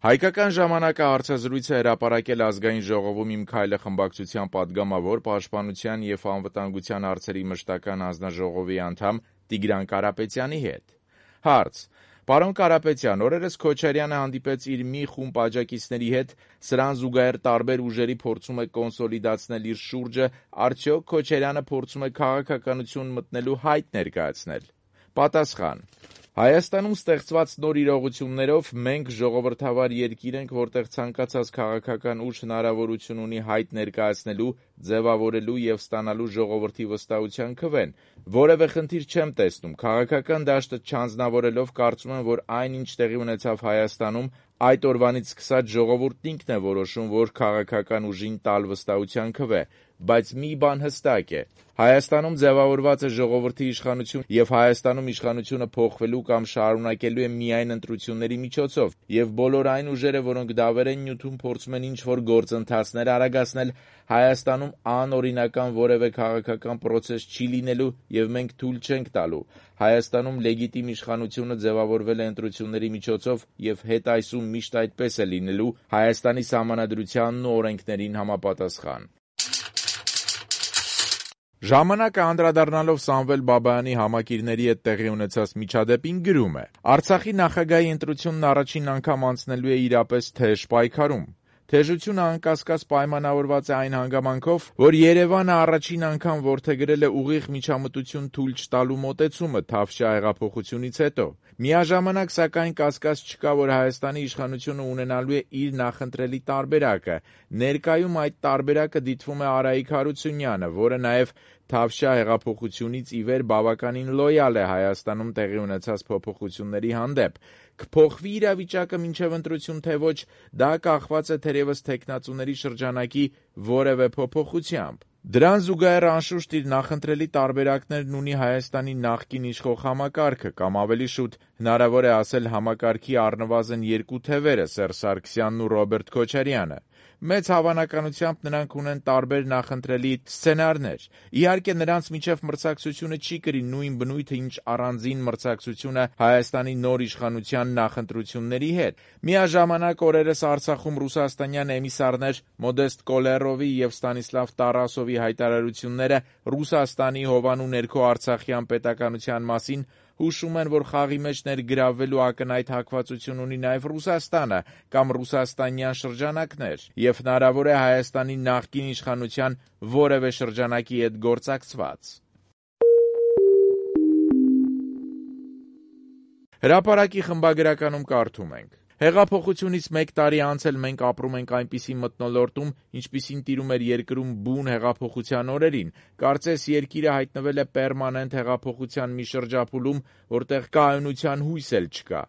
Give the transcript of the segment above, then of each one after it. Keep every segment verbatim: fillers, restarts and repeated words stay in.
Հայկական ժամանակը հարցազրույց է հրապարակել Ազգային ժողովում «Իմ քայլը» խմբակցության պատգամավոր, Պաշտպանության և անվտանգության հարցերի մշտական հանձնաժողովի անդամ Տիգրան Կարապետյանի հետ։ Հարց. Պարոն Կարապետյան, օրերս Քոչարյանը հանդիպեց իր մի խումբ աջակիցների հետ, սրան զուգահեռ տարբեր ուժերի փորձում է կոնսոլիդացնել իր շուրջը, արդյոք Քոչարյանը փորձում է քաղաքականություն մտնելու հայտ ներկայացնել։ Պատասխան. Հայաստանում ստեղծված նոր իրողություններով մենք ժողովրդավար երկիր ենք, որտեղ ցանկացած քաղաքական ուժ հնարավորություն ունի հայտ ներկայացնելու, ձևավորելու և ստանալու ժողովրդի վստահության քվեն։ Որևէ խնդիր չեմ տեսնում, քաղաքական դաշտը չանձնավորելով կարծում եմ, որ այն, ինչ տեղի ունեցավ Հայաստանում, այդ օրվանից սկսած ժողովուրդն ինքն է որոշում, որ քաղաքական ուժին տալ վստահության քվե, բայց մի բան հստակ է. Հայաստանում ձևավորված է ժողովրդի իշխանություն և Հայաստանում իշխանությունը փոխվելու կամ շարունակելու է միայն ընտրությունների միջոցով, և բոլոր այն ուժերը, որոնք դավեր են նյութում, փորձում են ինչ-որ գործընթացներ արագացնել, Հայաստանում անօրինական որևէ քաղաքական պրոցես չի լինելու և մենք թույլ չենք տալու։ Հայաստանում լեգիտիմ իշխանությունը ձևավորվել է ընտրությունների միջոցով և հետայսում միշտ այդպես է լինելու Հայաստանի Սահմանադրությանն ու օրենքներին համապատասխան։ Ժամանակը անդրադառնալով Սամվել Բաբայանի համակիրների հետ տեղի ունեցած միջադեպին գրում է. Արցախի նախագահի ընտրությունն առաջին անգամ անցնելու է իրապես թեժ պայքարում։ Թեժությունը անկասկած պայմանավորված է այն հանգամանքով, որ Երևանը առաջին անգամ որդեգրել է ուղիղ միջամտություն թույլ չտալու մոտեցումը Թավշյա հեղափոխությունից հետո։ Միաժամանակ, սակայն, կասկած չկա, որ Հայաստանի իշխանությունը ունենալու է իր նախընտրելի տարբերակը։ Ներկայում այդ տարբերակը դիտվում է Արայիկ Հարությունյանը, որը նաև Թավշյա հեղափոխությունից ի վեր բավականին լոյալ է Հայաստանում տեղի ունեցած փոփոխությունների հանդեպ։ Կփոխվի իրավիճակը մինչև ընտրություն, թե ոչ, դա կախված է թերևս թեկնածուների շրջանակի որևէ փոփոխությամբ։ Դրան զուգահեռ անշուշտ իր նախընտրելի տարբերակներն ունի Հայաստանի նախկին իշխող համակարգը, կամ ավելի շուտ հնարավոր է ասել համակարգի առնվազն երկու թևերը՝ Սերժ Սարգսյանն ու Ռոբերտ Քոչարյանը։ Մեծ հավանականությամբ նրանք ունեն տարբեր նախընտրելի սցենարներ։ Իհարկե, նրանց միջև մրցակցությունը չի կրի նույն բնույթը, ինչ առանձին մրցակցությունը Հայաստանի նոր իշխանության նախընտրությունների հետ։ Միաժամանակ, օրերս Արցախում ռուսաստանյան էմիսարներ Մոդեստ Կոլեռովի և Ստանիսլավ Տարասովի հայտարարությունները Ռուսաստանի հովանու ներքո արցախյան պետականության մասին հուշում են, որ խաղի մեջ ներգրավվելու ակնհայտ հակվածություն ունի նաև Ռուսաստանը կամ ռուսաստանյան շրջանակներ, և հնարավոր է Հայաստանի նախկին իշխանության որևէ շրջանակի հետ գործակցված։ Հրապարակի խմբագրականում կարդում ենք. Հեղափոխությունից մեկ տարի անց էլ մենք ապրում ենք այնպիսի մթնոլորտում, ինչպիսին տիրում էր երկրում բուն հեղափոխության օրերին։ Կարծես երկիրը հայտնվել է պերմանենտ հեղափոխության մի շրջափուլում, որտեղ կայունության հույս էլ չկա։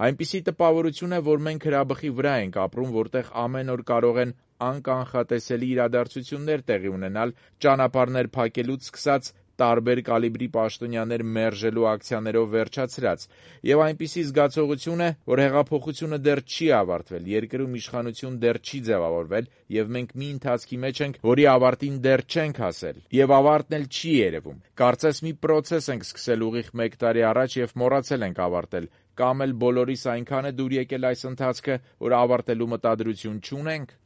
Այնպիսի տպավորություն է, որ մենք հրաբխի վրա ենք ապրում, որտեղ ամեն օր կարող են անկանխատեսելի իրադարձություններ տեղի ունենալ, ճանապարհներ փակելուց սկսած տարբեր կալիբրի պաշտոնյաներ մերժելու ակցիաներով վերջացրած, և այնպիսի զգացողություն է, որ հեղափոխությունը դեռ չի ավարտվել, երկրում իշխանություն դեռ չի ձևավորվել, և մենք մի ընթացքի մեջ ենք, որի ավարտին դեռ չենք հասել, և ավարտն էլ չի երևում։ Կարծես մի պրոցես ենք սկսել ուղիղ մեկ տարի առաջ և մոռացել ենք ավարտել, կամ էլ բոլորիս այնքան է դուր եկել այս ընթացքը, որ ավարտելու մտադրություն չունենք։